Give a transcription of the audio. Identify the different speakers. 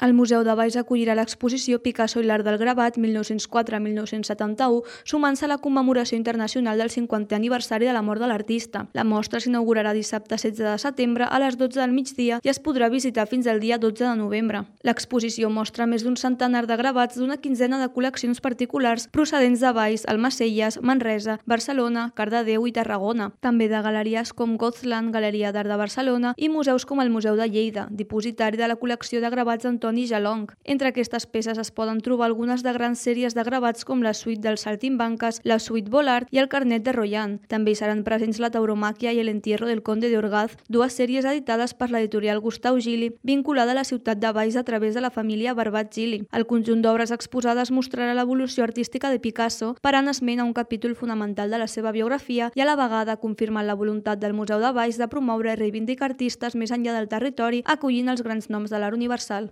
Speaker 1: El Museu de Valls acollirà l'exposició Picasso i l'art del gravat 1904-1971, sumant-se a la commemoració internacional del 50è aniversari de la mort de l'artista. La mostra s'inaugurarà dissabte 16 de setembre a les 12 del migdia i es podrà visitar fins al dia 12 de novembre. L'exposició mostra més d'un centenar de gravats d'una quinzena de col·leccions particulars procedents de Valls, Almacelles, Manresa, Barcelona, Cardedeu i Tarragona. També de galeries com Gozlan, Galeria d'Art de Barcelona, i museus com el Museu de Lleida, dipositari de la col·lecció de gravats d'Antoni Jalong. Entre aquestes peces es poden trobar algunes de grans sèries de gravats com la suite dels Saltimbanques, la suite Volart i el carnet de Royan. També hi seran presents la tauromàquia i el entierro del conde de Orgaz, dues sèries editades per l'editorial Gustau Gili, vinculada a la ciutat de Valls a través de la família Barbat Gili. El conjunt d'obres exposades mostrarà l'evolució artística de Picasso, parant esment a un capítol fonamental de la seva biografia i a la vegada confirmant la voluntat del Museu de Valls de promoure i reivindicar artistes més enllà del territori, acollint els grans noms de l'art universal.